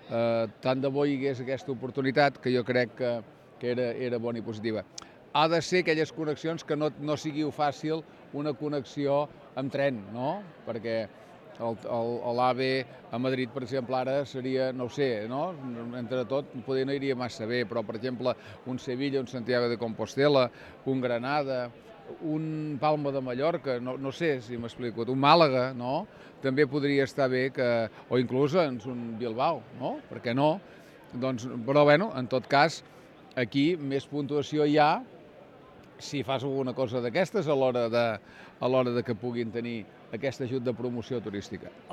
tant de bo hi hagués aquesta oportunitat, que jo crec que era bona i positiva. Ha de ser aquelles connexions que no sigui fàcil una connexió amb tren, no? Perquè l'AVE a Madrid, per exemple, ara seria, no ho sé, no? Entre tot, poder no iria massa bé, però, per exemple, un Sevilla, un Santiago de Compostela, un Granada, un Palma de Mallorca, no sé si m'explico, un Màlaga, no? També podria estar bé o inclús un Bilbao, no? Per què no? Doncs, però, bueno, en tot cas, aquí més puntuació hi ha si fas alguna cosa d'aquestes a l'hora de que puguin tenir aquest ajut de promoció turística.